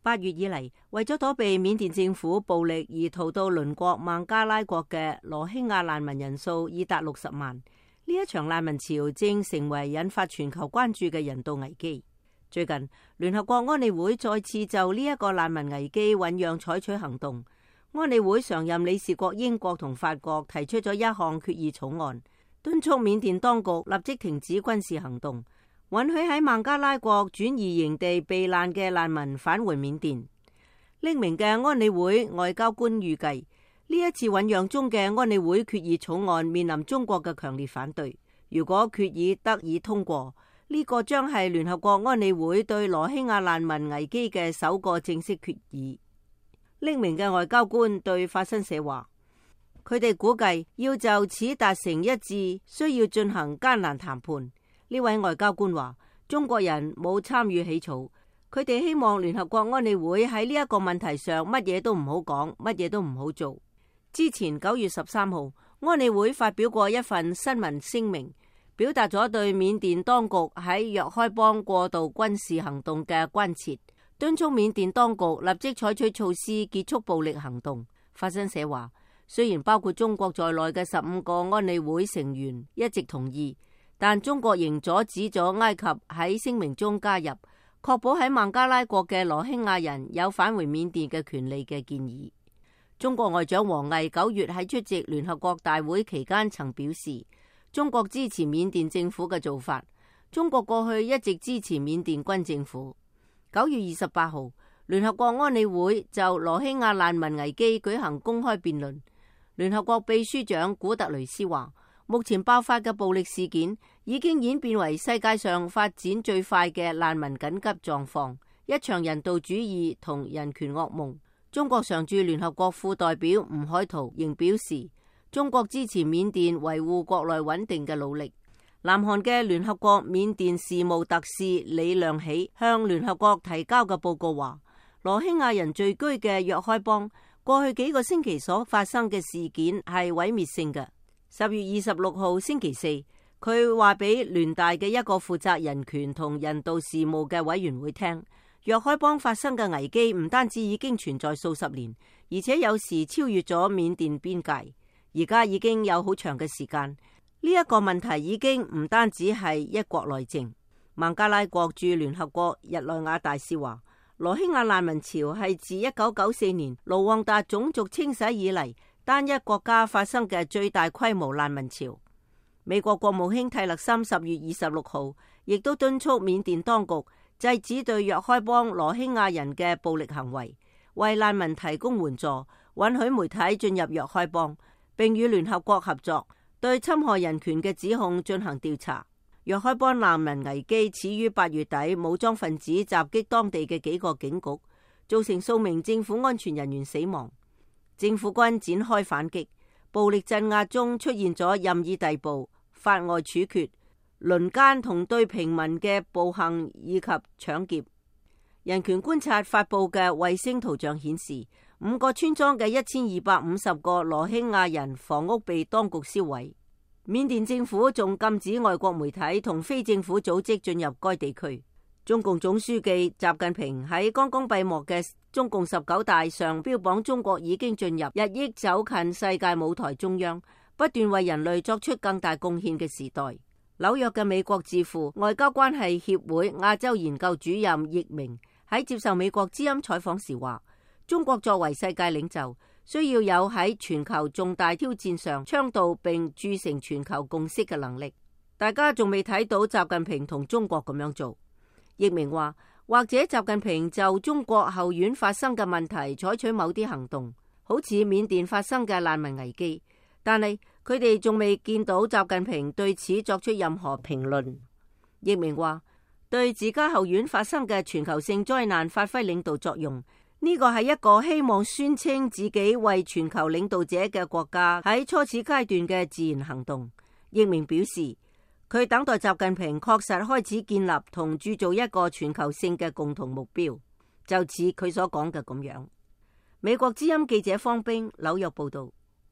8月以嚟，為咗躲避緬甸政府暴力而逃到鄰國孟加拉國嘅羅興亞難民人數已達60萬。呢一場難民潮正成為引發全球關注嘅人道危機。最近，聯合國安理會再次就呢一個難民危機醞釀採取行動。安理會常任理事國英國同法國提出咗一項決議草案，敦促緬甸當局立即停止軍事行動，允許喺孟加拉國轉移營地避難嘅難民返回緬甸。匿名嘅安理會外交官預計，呢一次醞釀中嘅安理會決議草案面臨中國嘅強烈反對。如果決議得以通過，呢個將係聯合國安理會對羅興亞難民危機嘅首個正式決議。匿名嘅外交官對法新社話，佢哋估計要就此達成一致，需要進行艱難談判。呢位外交官話，中國人冇參與起草，佢哋希望聯合國安理會喺呢一個問題上乜嘢都唔好講，乜嘢都唔好做。之前9月13號，安理會發表過一份新聞聲明，表達咗對緬甸當局喺若開邦過度軍事行動嘅關切，敦促緬甸當局立即採取措施結束暴力行動。法新社話，雖然包括中國在內嘅15個安理會成員一直同意，但中國仍阻止咗埃及喺聲明中加入確保喺孟加拉國嘅羅興亞人有返回緬甸嘅權利嘅建議。中國外長王毅9月喺出席聯合國大會期間曾表示，中國支持緬甸政府嘅做法。中國過去一直支持緬甸軍政府。9月28號，聯合國安理會就羅興亞難民危機舉行公開辯論。聯合國秘書長古特雷斯話，目前爆發嘅暴力事件已經演變為世界上發展最快嘅難民緊急狀況，一場人道主義同人權噩夢。中國常駐聯合國副代表吳海濤仍表示，中國支持緬甸維護國內穩定嘅努力。南韓嘅聯合國緬甸事務特使李亮喜向聯合國提交嘅報告話，羅興亞人聚居嘅若開邦過去幾個星期所發生嘅事件係毀滅性嘅。10月26號星期四，佢話俾聯大嘅一個負責人權同人道事務嘅委員會聽，若開邦發生嘅危機唔單止已經存在數十年，而且有時超越咗緬甸邊界，而家已經有好長嘅時間。呢一個問題已經唔單止係一國內政。孟加拉國駐聯合國日內瓦大使話，羅興亞難民潮係自1994年盧旺達種族清洗以嚟單一國家發生嘅最大規模難民潮。美國國務卿蒂勒森10月26號亦都敦促緬甸當局制止對若開邦羅興亞人嘅暴力行為，為難民提供援助，允許媒體進入若開邦，並與聯合國合作，對侵害人權嘅指控進行調查。若開邦難民危機始於8月底武裝分子襲擊當地嘅幾個警局，造成數名政府安全人員死亡。政府軍展開反擊，暴力鎮壓中出現咗任意逮捕、法外處決、輪姦同對平民嘅暴行以及搶劫。人權觀察發佈嘅衛星圖像顯示，5個村莊嘅1250個羅興亞人房屋被當局燒毀。緬甸政府仲禁止外國媒體同非政府組織進入該地區。中共總書記習近平喺剛剛閉幕嘅中共19大上標榜中國已經進入日益走近世界舞台中央，不斷為人類作出更大貢獻嘅時代。紐約嘅美國智庫外交關係協會亞洲研究主任易明喺接受美國之音採訪時話，中國作為世界領袖，需要有喺全球重大挑戰上倡導並鑄成全球共識嘅能力。大家仲未睇到習近平同中國咁樣做。易明話，或者習近平就中國後院發生嘅問題採取某啲行動，好似緬甸發生嘅難民危機，但係佢哋仲未見到習近平對此作出任何評論。易明話，對自家後院發生嘅全球性災難發揮領導作用，呢個係一個希望宣稱自己為全球領導者嘅國家喺初始階段嘅自然行動。易明表示，佢等待習近平確實開始建立同鑄造一個全球性嘅共同目標，就似佢所講嘅咁樣。美國之音記者方冰紐約報道。